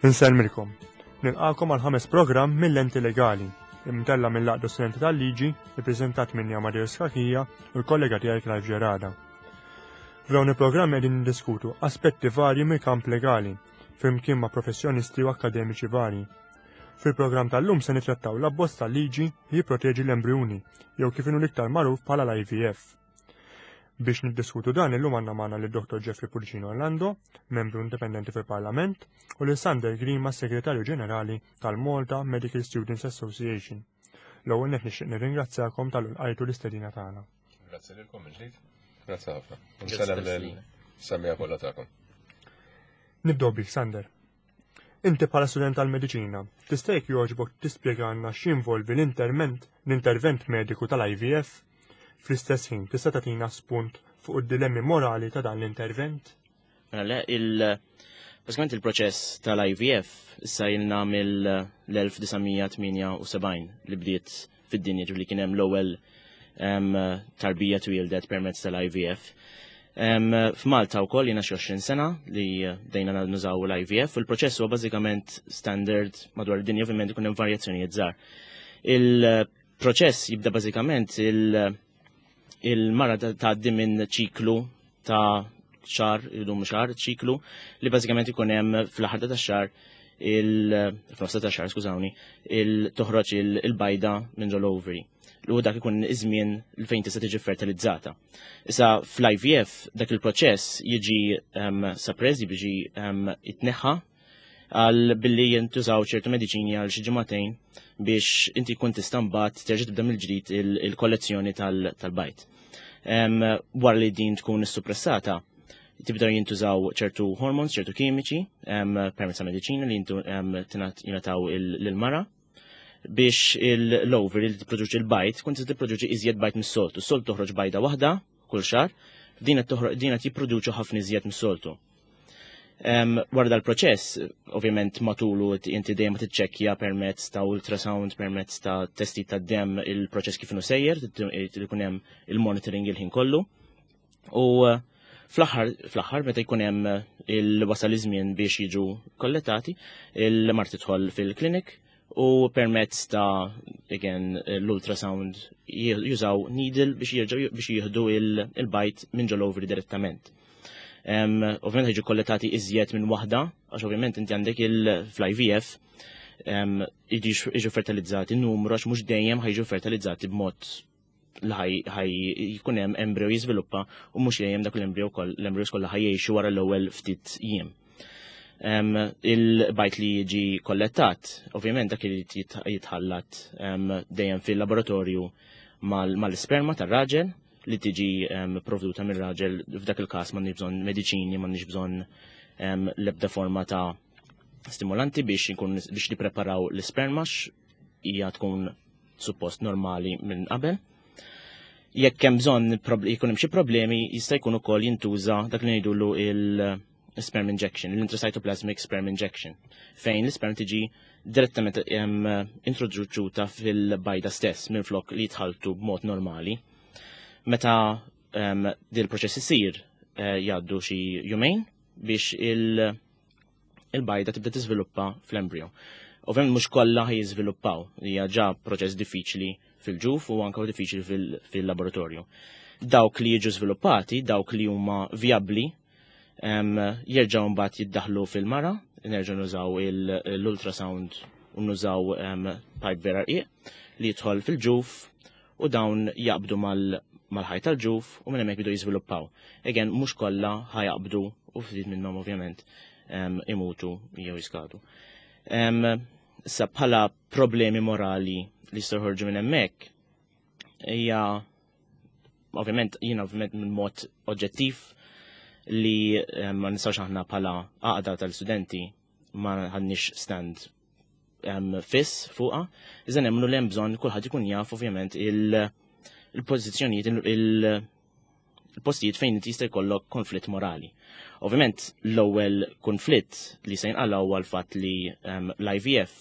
Insellmilkom. Nilqakom għal ħames programm mill-Lenti Legali, imtella mill-Għaqda Studenti tal-Liġi, ippreżentat minni Amadeus Kakija u l-kollega tiegħi Clive Gerada. F'dawn il-programmi qegħdin niddiskutu aspetti varji mill-kamp legali, flimkien ma' professjonisti u akkademiċi varji. Fil-programm tal-lum se nitrattaw l-abbozz tal-liġi li jipproteġi l-embrijuni, jew kif inhu l-iktar magħruf bħala l-IVF. Biex niddiskutu dan illum għandna magħna lid Dr. Jeffrey Pullicino Orlando, membru indipendenti fil-Parlament, u lil Sander Grima, Segretarju Ġenerali tal-Malta Medical Students Association. L-ewwel nett nixtieq nirringrazzjakom tal-lqajtu l-istedina tagħna. Grazzi lilkom mill-ġdid. Grazzi ħafna. Nsellem lil semmiegħa kollha tagħkom. Nibdew bik, Sander. Inti bħala student tal-mediċina, tista' jekk jogħġbok tispjegalna x'jinvolvi l-interment l-intervent mediku tal-IVF? Fl-istess ħin tista' tagħtina spunt fuq id-dilemmi morali ta' dan l-intervent? Mela le, il bażikament il-proċess tal-IVF issa ilna mill-1978 li bdiet fid-dinja ġifieri kien hemm l-ewwel tarbija twieldet permezz tal-IVF. F'Malta wkoll jiena xi 20 sena li bdejna nużaw l-IVF u l-proċess huwa bażikament standard madwar id-dinja, ovvjament ikun hemm varjazzjonijiet żgħar. Il-proċess jibda bażikament il-mara tgħaddi minn ċiklu ta' xahar, idum xahar, ċiklu li bażikament ikun hemm fl-aħħar ta' xahar il-frosta ta' xahar, skużawni, il-toħroġ il-bajda minn ġol ovary. Li dak ikun iż-żmien li fejn tista' tiġi fertilizzata. Issa fl-IVF dak il-proċess jiġi suppress, jiġi jitneħħa għal billi jintużaw ċertu mediċini għal xi ġimagħtejn biex inti jkun tista' mbagħad terġa' tibda mill-ġdid il-kollezzjoni tal-bajd. Wara li din tkun issuppressata, tibda jintużaw ċertu hormones, ċertu kimiċi, permezz ta' mediċina li jingħataw lil-mara biex l-ovary li tipproduċi l-bajd tkun tista' tipproduċi iżjed bajd mis-soltu. S-soltu toħroġ bajda waħda kull xahar, din qed jipproduċu ħafna iżjed mis-soltu. Wara dal-proċess, ovvjament matulu inti dejjem tiċċekkja permezz ta' ultrasound, permezz ta' testi ta' dem il-proċess kif inhu sejjer, ikun hemm il-monitoring il-ħin kollu. U fl-aħħar meta jkun hemm il-wasal iż-żmien biex jiġu kollettati, il-mara tidħol fil-klinik u permezz ta' again l-ultrasound jużaw needle biex jerġgħu biex jieħdu il-bajd minn ġol ovary direttament. Ovvjament ħiġu kollettati iżjed minn waħda, għax ovvjament inti għandek il-IVF jiġu fertilizzati numru għax mhux dejjem ħajġu fertilizzati b'mod li ħaj jkun hemm embryo jiżviluppa u mhux dejjem dak l-embryo l-embryos kollha ħajjgħixu wara l-ewwel ftit jiem. Il-bajd li jiġi kollettat, ovvjament dak li jitħallat dejjem fil-laboratorju mal-isperma tar-raġel li tiġi provduta mir-raġel. F'dak il-każ m'għandniex bżonn mediċini, m'għandniex bżonn l-ebda forma ta' stimulanti biex nkun biex nippreparaw l-isperma, hija tkun suppost normali minn qabel. Jekk hemm bżonn jkun hemm xi problemi, jista' jkun ukoll jintuża dak li ngħidulu il-sperm injection, l-intracytoplasmic sperm injection, fejn l-isperm tiġi direttament introduċuta fil-bajda stess minn flok li jitħaltu b'mod normali. Meta dil proċess isir jgħaddu xi jumejn biex il-bajda tibda tiżviluppa fl-embryo. Ovvjament mhux kollha ħaj jiżviluppaw, hija ġa proċess diffiċli fil-ġuf u anke diffiċli fil-laboratorju. Dawk li jiġu żviluppati, dawk li huma vijabbli, jerġgħu mbagħad jiddaħlu fil-mara, nerġgħu nużaw l-ultrasound u nużaw pipe vera rqiq li jidħol fil-ġuf u dawn jaqbdu mal-ħajt tal-ġuf u minn hemmhekk bidu jiżviluppaw. Again, mhux kollha ħajaqbdu u ftit minnhom ovvjament imutu jew jiskadu. Issa bħala problemi morali li jistgħu joħorġu minn hemmhekk hija ovvjament jiena ovvjament minn mod oġġettiv li ma nistgħux aħna bħala għaqda tal-studenti ma ħadniex stand fiss fuqha, iżda nemmnu li hemm bżonn kulħadd ikun jaf ovvjament il-pożizzjonijiet, il-postijiet fejn inti jista' jkollok konflitt morali. Ovvjament l-ewwel konflitt li se jinqala huwa l-fatt li l-IVF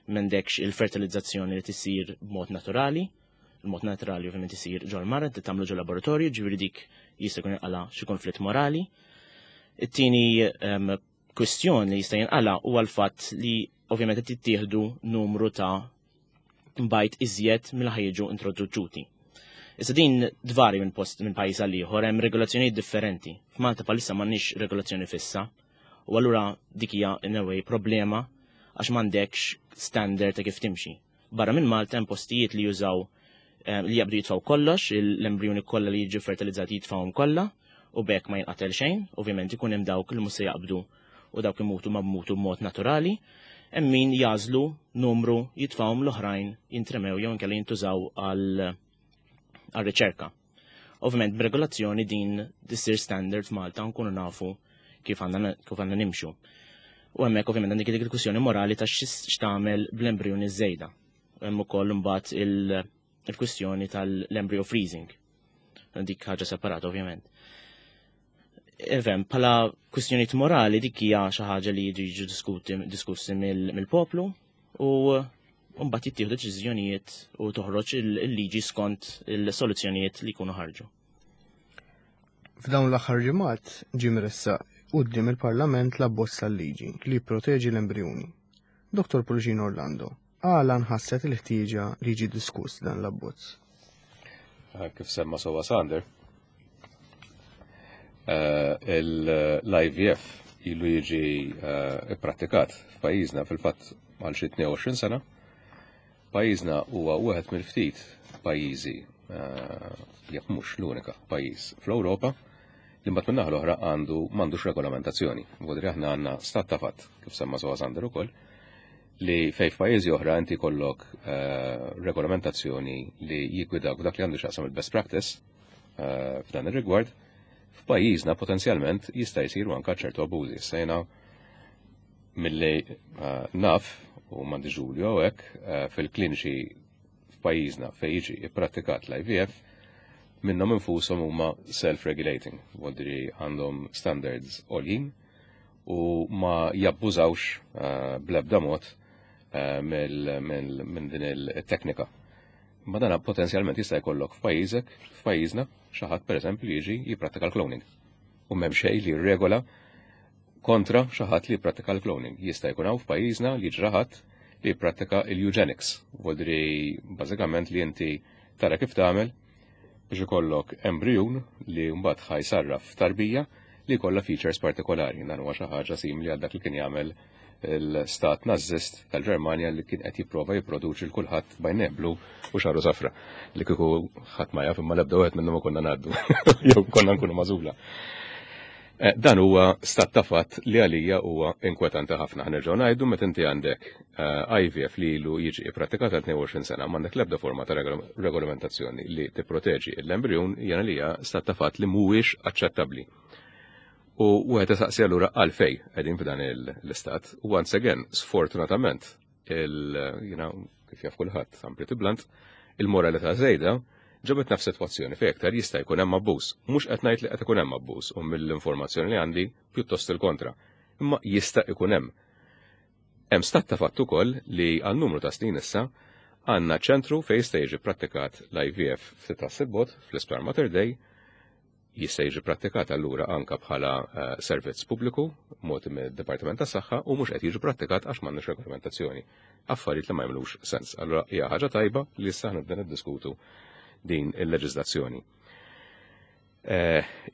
m'għandekx il-fertilizzazzjoni li tisir b'mod naturali, il-mod naturali ovvjament isir ġol mara, inti tagħmlu ġol laboratorju, ġifieri dik jista' jkun inqala xi konflitt morali. It-tieni. Kwistjoni li jista' jinqala huwa l-fatt li ovvjament qed jittieħdu numru ta' bajd iżjed mill ħajġu introduċuti. Issa din dvari minn post minn pajjiż għal ieħor hemm regolazzjonijiet differenti. F'Malta bħalissa m'għandniex regolazzjoni fissa. U allura dik hija in a way problema għax m'għandekx standard ta' kif timxi. Barra minn Malta hemm postijiet li jużaw li jabdu jitfaw kollox, l-embrjoni kollha li jiġu fertilizzati jitfawhom kollha u bekk ma jinqatel xejn, ovvjament ikun hemm dawk li mhux se jaqbdu u dawk imutu ma bmutu b'mod naturali, hemm min jażlu numru jitfawhom l-oħrajn jintremew jew inkella jintużaw għal riċerka. Ovvjament b'regolazzjoni din tissir standard f'Malta nkunu nafu kif għandna nimxu. U hemmhekk ovvjament għandek dik il-kwistjoni morali ta' x'tagħmel bl-embrjoni żejda. Hemm ukoll imbagħad il-kwistjoni tal-embryo freezing. Dik ħaġa separata ovvjament. Evem, pala kwistjonijiet morali dik hija xi ħaġa li jiġu diskussi mill-poplu u mbagħad jittieħdu deċiżjonijiet u toħroġ il-liġi skont il-soluzzjonijiet li jkunu ħarġu. F'dawn l-aħħar ġimgħat ġie mressaq quddiem il-Parlament l-abbozz tal-liġi li jipproteġi l-embrjuni. Dr. Pullicino Orlando, għala nħasset il-ħtieġa li jiġi diskuss dan l-abbozz? Kif semma sewwa Sander, l-IVF ilu jiġi ipprattikat f'pajjiżna fil-fatt għal xi 22 sena. Pajjiżna huwa wieħed mill-ftit pajjiżi, jekk mhux l-unika pajjiż fl-Ewropa, li mbagħad min-naħa l-oħra għandu m'għandux regolamentazzjoni. Vodri aħna għandna stat ta' fatt, kif semma sewwa Sander ukoll, li fej f'pajjiżi oħra inti jkollok regolamentazzjoni li jiggwidak f'dak li għandu x'jaqsam il-best practice f'dan ir-rigward, f'pajjiżna potenzjalment jista' jsiru anke ċertu abbużi. Sejna milli naf u m'għandix dubju hawnhekk fil-kliniċi f'pajjiżna fejn jiġi ipprattikat l-IVF minnhom infushom huma self-regulating, vuol għandhom standards għoljin u ma jabbużawx bl-ebda mod minn din il-teknika. Ma dana potenzjalment jista' jkollok f'pajjiżek, f'pajjiżna, xi ħadd pereżempju jiġi jipprattika l-cloning. U m'hemm xejn li jirregola kontra xi ħadd li jipprattika l-cloning. Jista' jkun hawn f'pajjiżna li jiġi ħadd li jipprattika l-eugenics. Vuol bażikament li inti tara kif tagħmel biex ikollok embryun li mbagħad ħa jsarraf tarbija li jkollha features partikolari. Dan huwa xi ħaġa simili għal dak li kien jagħmel il-stat nażist tal-Ġermanja li kien qed jipprova jipproduċi l kulħadd b'għajnejh blu u xagħru safra. Li kieku ħadd ma jaf imma l-ebda wieħed minnhom ma konna ngħaddu. Jew konna nkunu magħżula. Dan huwa stat ta' fatt li għalija huwa inkwetanti ħafna. Ħanerġgħu ngħidu meta inti għandek IVF li ilu jiġi ipprattikat għal 22 sena m'għandek l-ebda forma ta' regolamentazzjoni li tipproteġi l-embrjun jiena li hija stat ta' fatt li mhuwiex aċċettabbli. U wieħed isaqsi allura għalfej qegħdin f'dan l-istat. U once again, sfortunatament, il kif jaf kulħadd, I'm pretty blunt, il-moralità żejda ġabet naf sitwazzjoni fejn aktar jista' jkun hemm abbuż. Mhux qed ngħid li qed ikun hemm abbuż u mill-informazzjoni li għandi pjuttost il-kontra. Imma jista' ikun hemm. Hemm stat ta' fatt ukoll li għal numru ta' snin issa għandna ċentru fejn jista' jiġi prattikat l-IVF ftit tas-sibbot fl-Isptar Mater Dei jista' jiġi prattikat allura anka bħala servizz pubbliku mogħti mid-Dipartiment tas-Saħħa u mhux qed jiġi prattikat għax m'għandniex regolamentazzjoni. Affarijiet li ma jagħmlux sens. Allura hija ħaġa tajba li issa aħna nibda niddiskutu din il-leġiżlazzjoni.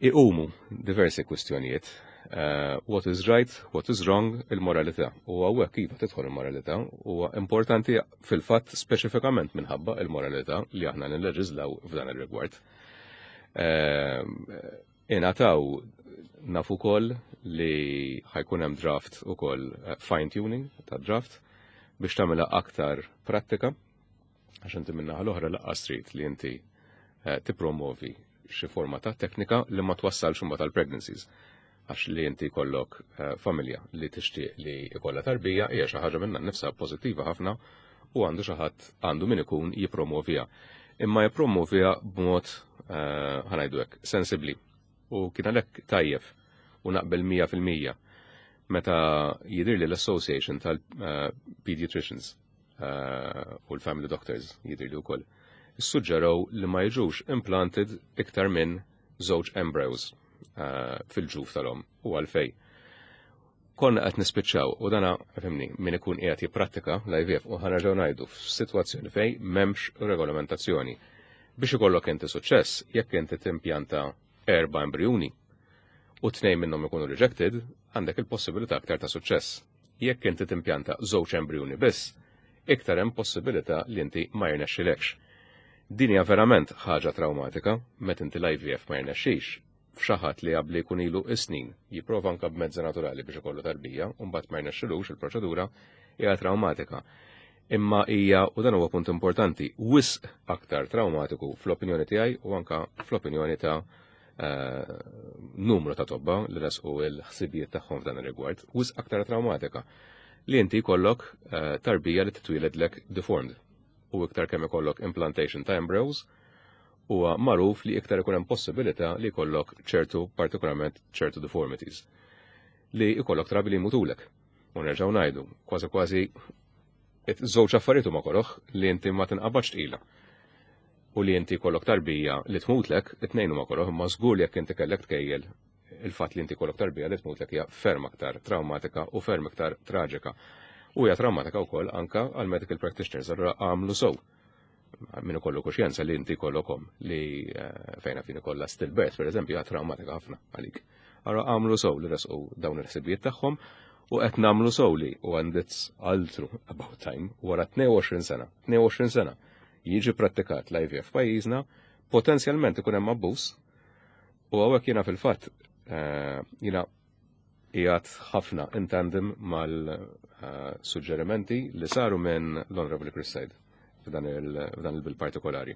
Iqumu diversi kwistjonijiet. What is right, what is wrong, il-moralità. U hawnhekk iva tidħol il-moralità huwa importanti fil-fatt speċifikament minħabba il-moralità li aħna nilleġiżlaw f'dan ir-rigward. Ingħataw naf ukoll li ħa jkun hemm draft ukoll fine tuning ta' draft biex tagħmilha aktar prattika għax inti min-naħa l-oħra lanqas trid li inti tippromovi xi forma ta' teknika li ma twassalx imbagħad għal pregnancies għax li inti jkollok familja li tixtieq li jkollha tarbija hija xi ħaġa minnha nnifsha pożittiva ħafna u għandu xi ħadd għandu min ikun jippromovija. Imma jippromovija b'mod ħa ngħidu hekk sensibbli. U kien għalhekk tajjeb u naqbel 100% meta jidhir li l-Association tal-Pediatricians u l-Family Doctors jidhir li wkoll suġġeraw li ma jiġux implanted iktar minn żewġ embryos fil-ġuf tal-om u għalfej. Konna qed nispiċċaw u dana fimni min ikun qiegħed jipprattika l-IVF u ħanerġgħu ngħidu f'sitwazzjoni fejn m'hemmx regolamentazzjoni. Biex ikollok inti suċċess, jekk inti timpjanta erba' embrijuni u tnejn minnhom ikunu rejected, għandek il-possibilità aktar ta' suċċess. Jekk inti timpjanta żewġ embrijuni biss, iktar hemm possibilità li inti ma jirnexxilekx. Din hija verament ħaġa traumatika meta inti l-IVF ma jirnexxix f'xi ħadd li qabli jkun ilu is-snin jipprova anke b'mezzi naturali biex ikollu tarbija u mbagħad ma jirnexxilux il-proċedura hija traumatika. Imma hija, u dan huwa punt importanti, wisq aktar traumatiku fl-opinjoni tiegħi u anka fl-opinjoni ta' numru ta' tobba li resqu l-ħsibijiet tagħhom f'dan ir-rigward, wisq aktar traumatika li inti jkollok tarbija li titwieledlek deformed u iktar kemm ikollok implantation ta' embryos huwa magħruf li iktar ikun hemm possibilità li jkollok ċertu partikolarment ċertu deformities li jkollok trabi li jmutulek. U nerġgħu ngħidu, kważi kważi żewġ affarijiet huma koroh li inti ma tinqabadx tqila. U li inti jkollok tarbija li tmutlek, it-tnejn huma koroh, imma żgur li jekk inti kellek tkejjel il-fatt li inti jkollok tarbija li tmutlek hija ferm aktar traumatika u ferm iktar traġika. U hija traumatika wkoll anka għal medical practitioners, allura għamlu sew. Min ikollu kuxjenza li inti jkollok li fejna fin ikollha stillbirth, per eżempju, hija traumatika ħafna għalik. Allura għamlu sew li resqu dawn il-ħsibijiet tagħhom u qed nagħmlu sew li u and it's altru about time wara 22 sena, 22 sena jiġi prattikat l-IVF pajjiżna, potenzjalment ikun hemm abbuż u hawnhekk jiena fil-fatt jiena qiegħed ħafna in tandem mal-suġġerimenti li saru minn l-Honorable Chris Said f'dan il-bill partikolari.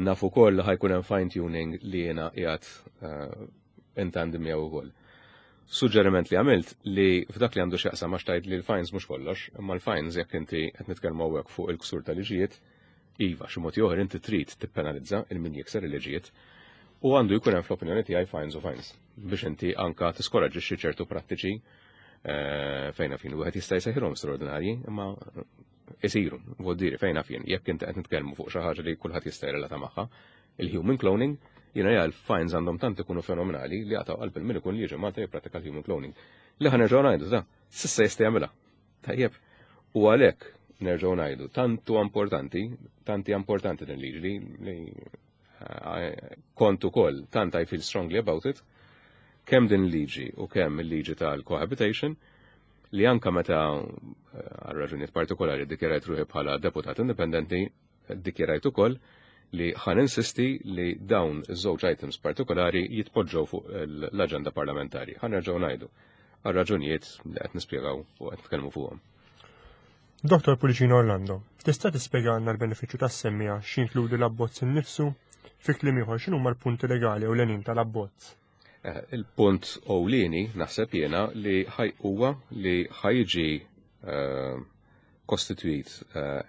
Naf ukoll li ħa jkun hemm fine tuning li jiena qiegħed in tandem miegħu wkoll. Suġġeriment li għamilt li f'dak li għandu x'jaqsam għax tgħid li l-fines mhux kollox, imma l-fines jekk inti qed nitkellmu hawnhekk fuq il-ksur tal-liġijiet, iva, xi mod ieħor inti trid tippenalizza il min jikser il-liġijiet u għandu jkun hemm fl-opinjoni tiegħi fines u fines biex inti anka tiskoraġġixxi ċertu prattiċi fejn fin wieħed jista' jsejħilhom straordinarji, imma isiru, voldiri fejn fin, jekk inti qed nitkellmu fuq xi ħaġa li kulħadd jista' jirrelata magħha, il-human cloning, jiena ja l-fines għandhom tant ikunu fenomenali li jaqtgħu qalb il-min ikun li jiġi Malta jipprattika l-human cloning. Li ħa nerġgħu ngħidu da, s'issa jista' jagħmilha. Tajjeb, u għalhekk nerġgħu ngħidu, tantu importanti, tanti importanti din liġi li kont ukoll tant I feel strongly about it, kemm din liġi u kemm il-liġi tal-cohabitation, li anka meta għal raġunijiet partikolari ddikjarajt ruħi bħala deputat indipendenti, ddikjarajt ukoll li ħan insisti li dawn iż-żewġ items partikolari jitpoġġew fuq l-aġenda parlamentari. Ħa nerġgħu ngħidu għal raġunijiet li qed nispjegaw u qed nitkellmu fuqhom. Dr. Pullicino Orlando, tista' tispjegalna l-benefiċċju tas-semmiegħa x'jinkludi l-abbozz innifsu? Fi kliem ieħor x'inhuma l-punti legali u l-għenin tal-abbozz? Il-punt ewlieni naħseb jiena li ħaj huwa li ħajġi kostitwit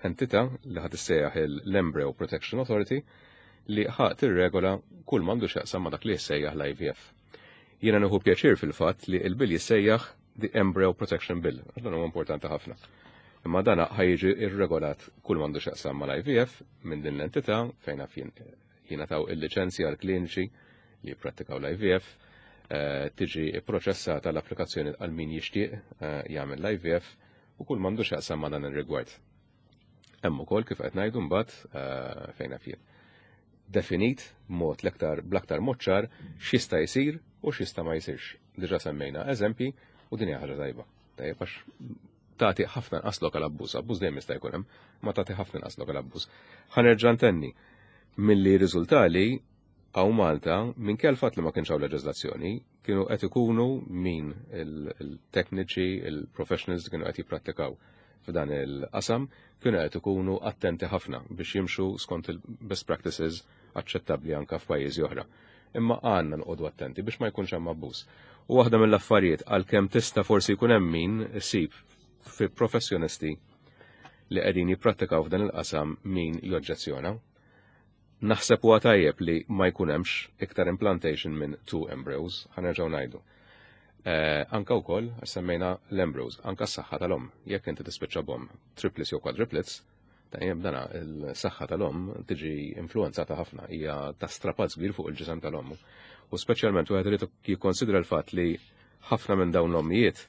entità li ħad issejjaħ l-Embryo Protection Authority li ħa tirregola kull m'għandu x'jaqsam ma' dak li jissejjaħ l-IVF. Jiena nieħu pjaċir fil-fatt li l-bill jissejjaħ the Embryo Protection Bill, għax dan huwa importanti ħafna. Imma dan ħajġi irregolat kull m'għandu x'jaqsam mal-IVF minn din l-entità fejn jingħataw il-liċenzja għal kliniċi li jipprattikaw l-IVF, tiġi pproċessata l-applikazzjoni għal min jixtieq jagħmel l-IVF u kull m'għandu x'jaqsam ma' dan ir-rigward. Hemm ukoll kif qed ngħidu mbagħad fejn naf jien. Definit mod l-aktar bl-aktar mod ċar x'jista' jsir u x'jista' ma jsirx. Diġà semmejna eżempji u din hija ħaġa tajba. Tajjeb għax tagħti ħafna inqas lokal abbuż, abbuż dejjem jista' jkun hemm, ma tagħti ħafna inqas lokal abbuż. Ħa nerġa' ntenni milli riżultali hawn Malta minkejja l-fatt li ma kienx hawn leġiżlazzjoni, kienu qed ikunu min il-tekniċi, il-professionals li kienu qed jipprattikaw f'dan il-qasam, kienu qed ikunu attenti ħafna biex jimxu skont il-best practices aċċettabbli anka f'pajjiżi oħra. Imma għandna noqogħdu attenti biex ma jkunx hemm abbuż. U waħda mill-affarijiet għalkemm tista' forsi jkun hemm min isib fi professjonisti li qegħdin jipprattikaw f'dan il-qasam min joġġezzjona. Naħseb huwa tajjeb li ma jkun hemmx iktar implantation minn two embryos, ħa nerġgħu ngħidu. Anka wkoll semmejna l-embryos, anka s-saħħa tal-omm, jekk inti tispiċċa b'omm triplets jew quadruplets, tajjeb dana il-saħħa tal-omm tiġi influenzata ħafna, hija ta' strapazz kbir fuq il-ġisem tal-omm. U speċjalment wieħed irid jikkonsidra l-fatt li Ħafna minn dawn l-ommijiet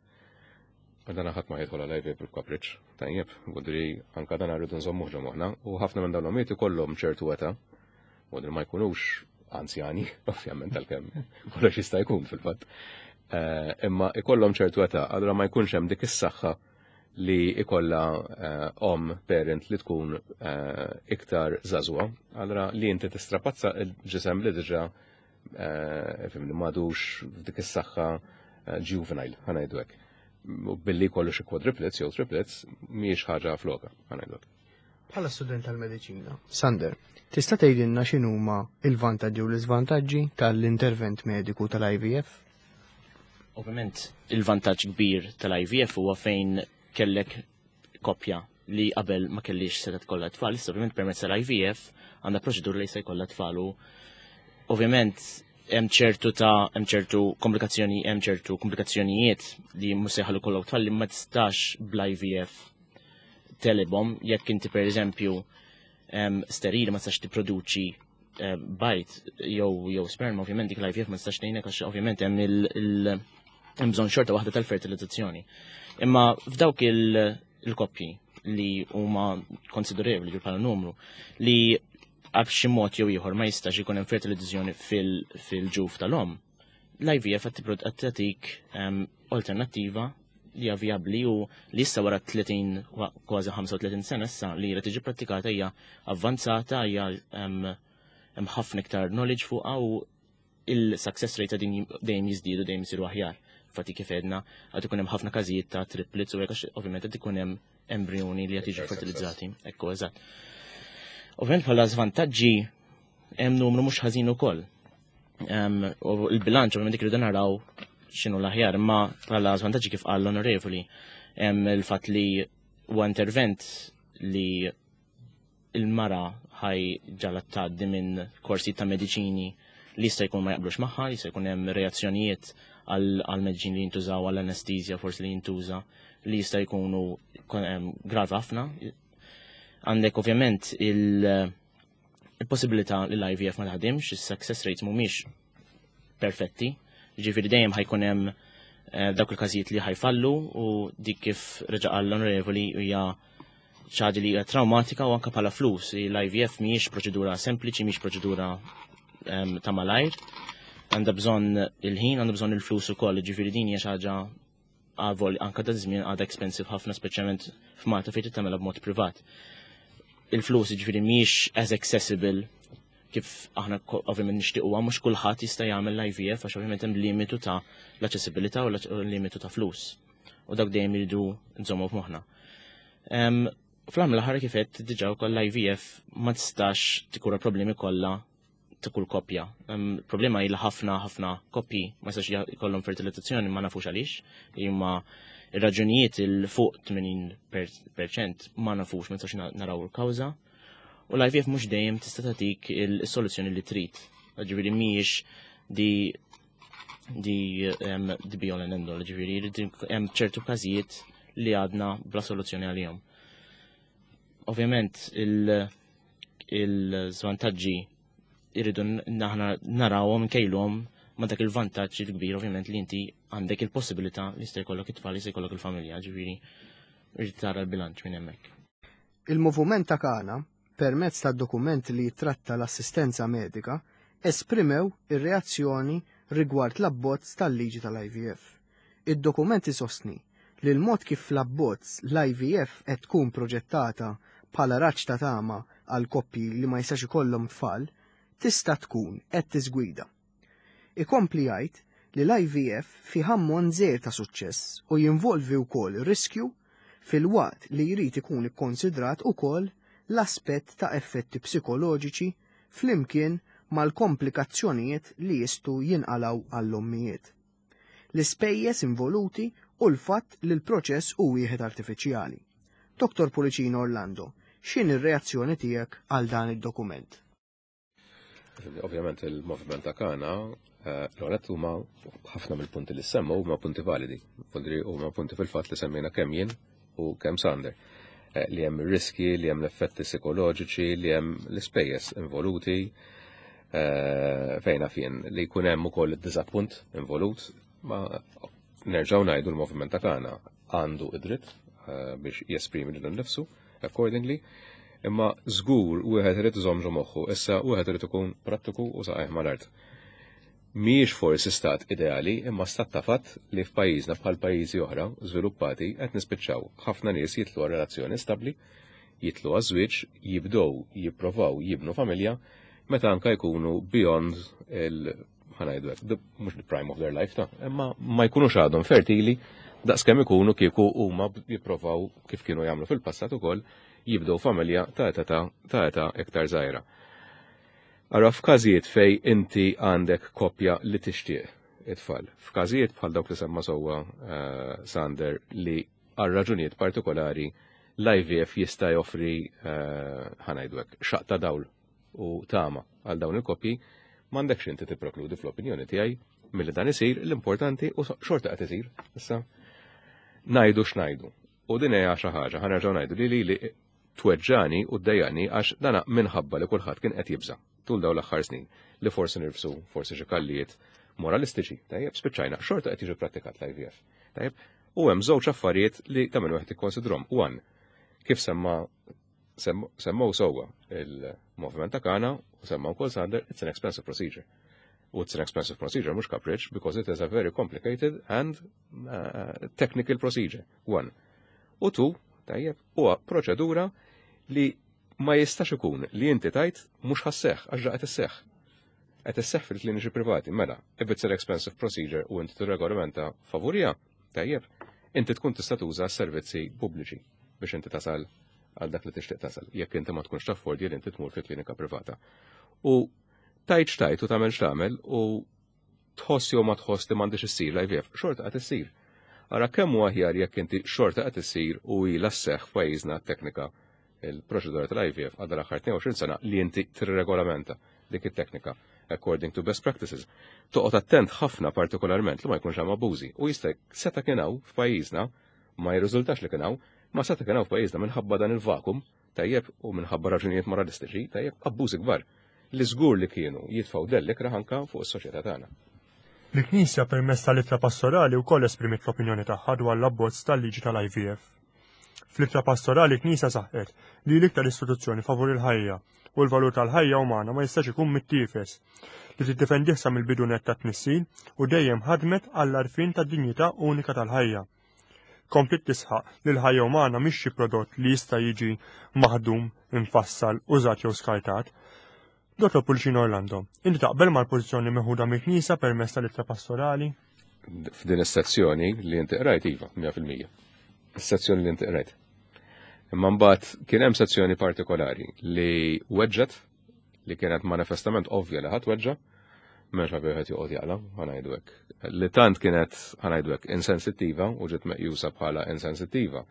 dan ħadd ma jidħol għal IVF bil-kapriċ, tajjeb, għodri anka dan rridu nżommuh ġo moħħna, u ħafna minn dawn l-ommijiet ikollhom ċertu età, għodri ma jkunux anzjani, ovvjament għalkemm kollox jista' jkun fil-fatt. Eh, imma ikollhom ċertu età, allura ma jkunx hemm dik is-saħħa li ikolla eh, om parent li tkun eh, iktar żagħżugħa, allura li inti tistrapazza il-ġisem li diġà eh, fimni m'għadux f'dik is-saħħa eh, juvenile, ħa ngħidu hekk. Billi kollu xi quadruplets jew triplets mhijiex ħaġa floka, ħa ngħidu hekk. Bħala student tal-mediċina, Sander, tista' tgħidilna x'inhuma il-vantaġġi u l-iżvantaġġi tal-intervent mediku tal-IVF? Ovvjament, il-vantaġġ kbir tal-IVF huwa fejn kellek koppja li qabel ma kellix seta tkollha tfal, issa ovvjament permezz tal-IVF għandha proċedura li se jkollha tfal u ovvjament hemm ċertu ta' hemm ċertu komplikazzjoni hemm ċertu komplikazzjonijiet li mhux se jħallu kollha tfal li ma tistax bl-IVF telibhom jekk inti pereżempju sterili ma tistax tipproduċi bajt jew jew sperma ovvjament dik l-IVF ma tistax tgħinek għax ovvjament hemm il hemm bżonn xorta waħda tal-fertilizzazzjoni. Imma f'dawk il-koppji li huma konsiderevoli bħala numru li għab xi mod jew ieħor ma jistax ikun hemm fertilizzazzjoni fil-ġuf tal-om. L-IVF qed tagħtik alternattiva li hija vijabbli u li issa wara 30 kważi 35 sena issa li qed tiġi prattikata hija avvanzata hija hemm ħafna iktar knowledge fuqha u il-success rate din dejjem jiżdiedu dejjem isiru aħjar. Fatti kif edna għad ikun hemm ħafna każijiet ta' triplets u hekk ovvjament qed ikun hemm embrjoni li qed jiġu fertilizzati. Ekku eżatt. Ovvjament bħala żvantaġġi hemm numru mhux ħażin ukoll. U il-bilanċ ovvjament dik irridu naraw x'inhu l-aħjar, imma bħala żvantaġġi kif qal l-onorevoli hemm il-fatt li huwa intervent li il-mara ħaj ġala tgħaddi minn korsi ta' mediċini li jista' jkun ma jaqblux magħha, jista' jkun hemm reazzjonijiet għal mediċini li jintużaw għall anestizja forsi li jintuża li jista' jkunu gravi ħafna. Għandek ovvjament il-possibilità li l-IVF ma taħdimx, is-success rates mhumiex perfetti, ġifieri dejjem ħajkun hemm eh, dawk il-każijiet li ħajfallu u dik kif reġa' qal l-onorevoli hija ċaġa li hija traumatika u anke bħala flus. L-IVF mhijiex proċedura sempliċi, mhijiex proċedura ehm, ta' malajr. Għandha bżonn il-ħin, għandha bżonn il-flus ukoll, ġifieri din hija xi ħaġa għavol anka ta' żmien għadha expensive ħafna speċjalment f'Malta fejn tagħmilha b'mod privat. Il-flus ġifieri mhijiex as accessible kif aħna ovvjament nixtiequha mhux kulħadd jista' jagħmel l-IVF għax ovvjament hemm limitu ta' l-aċċessibilità u limitu ta' flus. U dak dejjem iridu nżommu f'moħħna. Fl-għamla ħara kif qed diġà wkoll l-IVF ma tistax tikura problemi kollha ta' kull koppja. Problema hi li ħafna ħafna koppji ma jistax jkollhom fertilizzazzjoni ma nafux għaliex, imma ir-raġunijiet il fuq 80% ma nafux ma nistax naraw il-kawża. U l-IVF mhux dejjem tista' tagħtik il-soluzzjoni li trid. Ġifieri mhijiex di di di be all and end all, ġifieri hemm ċertu każijiet li għadna bla soluzzjoni għalihom. Ovvjament il-żvantaġġi irridu naħna narawhom nkejluhom ma dak il-vantaġġ il-kbir ovvjament li inti għandek il-possibilità li jista' jkollok it-tfal, jista' jkollok il-familja, ġifieri irid tara l-bilanċ minn hemmhekk. Il-Moviment ta' Kana, permezz tad-dokument li jittratta l-assistenza medika, esprimew ir-reazzjoni rigward l-abbozz tal-liġi tal-IVF. Id-dokument isostni li l-mod kif fl-abbozz l-IVF qed tkun proġettata bħala raġġ ta' tama għal koppji li ma jistax ikollhom tfal tista' tkun qed tiżgwida. Ikompli jgħid li l-IVF fih ammont żgħir ta' suċċess u jinvolvi wkoll riskju filwaqt li jrid ikun ikkonsidrat ukoll l-aspett ta' effetti psikoloġiċi flimkien mal-komplikazzjonijiet li jistgħu jinqalgħu għall-ommijiet. L-ispejjeż involuti u l-fatt li l-proċess hu wieħed artifiċjali. Dottor Pullicino Orlando, x'inhi r-reazzjoni tiegħek għal dan id-dokument? Ovvjament il-moviment ta' Kana, eh, l-għonet huma ħafna mill-punti li semmu huma punti validi. Punti huma punti fil-fatt li semmejna kemm jien u kemm Sander. Eh, li hemm riski, li hemm l-effetti psikoloġiċi, li hemm l-ispejjeż involuti, eh, fejna fien li jkun hemm ukoll id-diżappunt involut, ma Nerġgħu ngħidu l-moviment ta' tagħna għandu id-dritt biex jesprimi lilu nnifsu accordingly, imma żgur wieħed irid iżomm ġo moħħu, issa wieħed irid ikun prattiku u saqajh mal-art. Mhijiex forsi stat ideali imma stat ta' fatt li f'pajjiżna bħal pajjiżi oħra żviluppati qed nispiċċaw ħafna nies jidħlu għal relazzjoni stabbli, jidħlu għaż-żwieġ, jibdew jipprovaw jibnu familja meta anka jkunu beyond il ħa ngħidu hekk, mhux the prime of their life ta' imma ma jkunux għadhom fertili daqskemm ikunu kieku huma jipprovaw kif kienu jagħmlu fil-passat ukoll jibdew familja ta' età ta' età iktar żgħira. Ara f'każijiet fej inti għandek koppja li tixtieq it-tfal. F'każijiet bħal dawk li semma sewwa Sander li għal raġunijiet partikolari l-IVF jista' joffri eh, ħa ngħidu hekk xaqq ta' dawl u tama għal dawn il-koppji, m'għandekx inti tipprekludi fl-opinjoni tiegħi milli dan isir l-importanti u xorta qed isir. Issa ngħidu x'ngħidu. U din hija xi ħaġa ħa nerġgħu ngħidu li li tweġġani u ddejjaqni għax dana minħabba li kulħadd kien qed jibża' tul dawn l-aħħar snin li forsi nirfsu forsi xi kallijiet moralistiċi. Tajjeb, spiċċajna, xorta qed jiġi prattikat l-IVF. Tajjeb, u hemm żewġ affarijiet li ta' min wieħed ikkonsidrom. One, kif semma semmaw sewwa il-moviment ta' Kana u semma wkoll Sander, it's an expensive procedure. U it's an expensive procedure mhux kapriċ because it is a very complicated and technical procedure. One. U two, tajjeb, huwa proċedura li ma jistax ikun li inti tajt mhux ħa sseħħ għax qed isseħħ. Qed isseħħ fil-kliniċi privati, mela, if it's an expensive procedure u inti tirregolamenta favurija, tajjeb, inti tkun tista' tuża s-servizzi pubbliċi biex inti tasal għal dak li tixtieq tasal, jekk inti ma tkunx taffordi li inti tmur fi klinika privata. U tajt x'tajt u tagħmel x'tagħmel u tħoss jew ma tħoss li m'għandix issir l-IVF, xorta qed issir. Ara kemm huwa aħjar jekk inti xorta qed issir u ilha sseħħ f'pajjiżna t-teknika il-proċedura tal-IVF għadha l-aħħar 22 sena li inti tirregolamenta dik it-teknika according to best practices. Toqgħod attent ħafna partikolarment li ma jkunx hemm abbużi u jista' seta' kien hawn f'pajjiżna ma jirriżultax li kien hawn, ma seta' kien hawn f'pajjiżna minħabba dan il-vakum tajjeb u minħabba raġunijiet moralistiċi tajjeb abbużi kbar li żgur li kienu jitfgħu dell ikrah anka fuq is-soċjetà tagħna. Il-Knisja permezz tal-ittra pastorali wkoll esprimiet l-opinjoni tagħha dwar l-abbozz tal-liġi tal-IVF. Fl-ittra pastorali l-Knisja saħqet li l-iktar istituzzjoni favur il-ħajja u l-valur tal-ħajja umana ma jistax ikun mittiefes, li tiddefendih sa mill-bidu nett tat-tnissil u dejjem ħadmet għall-għarfien tad-dinjità unika tal-ħajja. Kompliet tisħaq li l-ħajja umana mhix xi prodott li jista' jiġi maħdum, imfassal, użat jew skartat. Dottor Pulcino Orlando, inti taqbel mal-pożizzjoni meħuda mill-Knisja permezz tal-ittra pastorali? F'din is-sezzjoni li inti qrajt iva, 100%. Is-sezzjoni li inti qrajt. Imma mbagħad kien hemm sezzjoni partikolari li weġġet li kienet manifestament ovvja li ħadd weġġa', m'hemmx għalfejn wieħed joqgħod jaqla, ħa ngħidu hekk. Li tant kienet, ħa ngħidu hekk, insensittiva u ġiet meqjusa bħala insensittiva,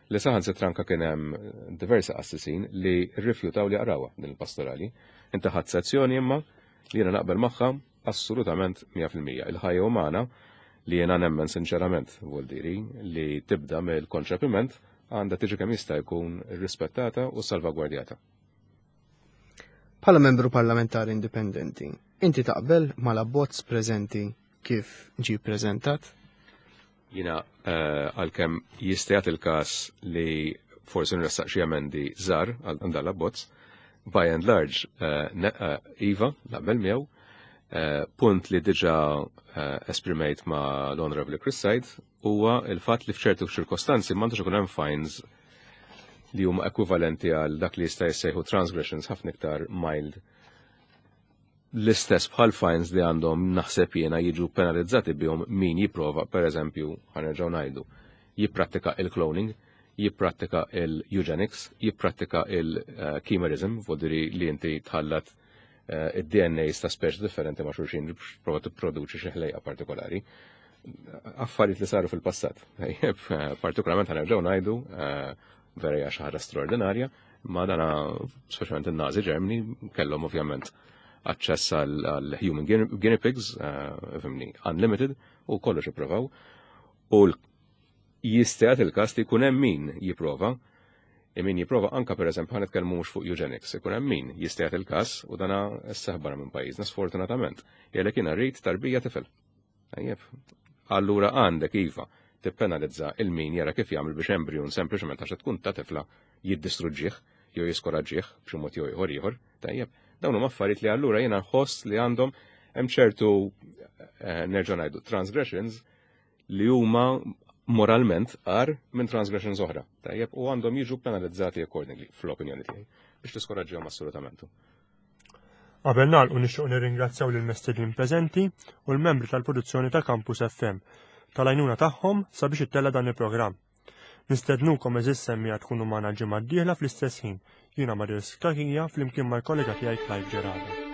li saħansitra anke kien hemm diversi qassisin li rrifjutaw li jaqrawha din il-pastorali. Inti ħadt sezzjoni imma li jiena naqbel magħha assolutament 100%. Il-ħajja umana li jiena nemmen sinċerament, vuol diri, li tibda mill-konċepiment għandha tiġi kemm jista' jkun irrispettata u salvagwardjata. Bħala membru parlamentari indipendenti, inti taqbel mal-abbozz preżenti kif ġie ppreżentat? Jiena eh, għalkemm jista' jagħti il-każ li forsi nressaq xi emendi żgħar għal dan l-abbozz, by and large eh, eh, iva naqbel miegħu. Punt li diġà esprimejt ma' l-Honorable Chris Said huwa il-fatt li f'ċertu ċirkostanzi m'għandux ikun hemm fines li huma ekwivalenti għal dak li jista' jissejħu transgressions ħafna iktar mild l-istess bħal fines li għandhom naħseb jiena jiġu penalizzati bihom min jipprova, per eżempju, ħa nerġgħu ngħidu, jipprattika il-cloning, jipprattika il-eugenics, jipprattika il-chimerism, vodiri li inti tħallat id-DNAs ta' speċi differenti ma' xulxin biex prova tipproduċi xi ħlejqa partikolari. Affarijiet li saru fil-passat. Partikolarment ħa nerġgħu ngħidu eh, vera hija xi ħaġa straordinarja, ma dana speċjalment in-Nazi Germany kellhom ovvjament aċċess għal human guinea pigs, eh, fimni, unlimited, u kollox ippruvaw. U jista' jagħti il-każ li jkun hemm min jipprova, min jipprova anka pereżempju ħa nitkellmu mhux fuq eugenics, ikun hemm min jista' jagħti il-każ u dana sseħħ barra minn pajjiżna sfortunatament. Jgħidlek jiena rrid tarbija tifel. Tajjeb. Allura għandek iva tippenalizza il-min jara kif jagħmel biex embrijun sempliċement għax tkun ta' tifla jiddistruġġih jew jiskoraġġih b'xi mod jew ieħor ieħor. Tajjeb, dawn huma affarijiet li allura jiena nħoss li għandhom hemm ċertu eh, nerġa' ngħidu transgressions li huma moralment agħar minn transgressions oħra. Tajjeb, u għandhom jiġu penalizzati accordingly, fl-opinjoni tiegħi, biex tiskoraġġihom assolutament. Qabel nagħlqu nixtieq nirringrazzjaw lil mestednin preżenti u l-membri tal-produzzjoni ta' Campus FM tal-għajnuna tagħhom sabiex ittella dan il-programm. Nistednukom eżis semmija tkunu magħna l-ġimgħa d-dieħla fl-istess ħin. Jiena Marius Kakija flimkien mal-kollega tiegħi Clive Gerardo.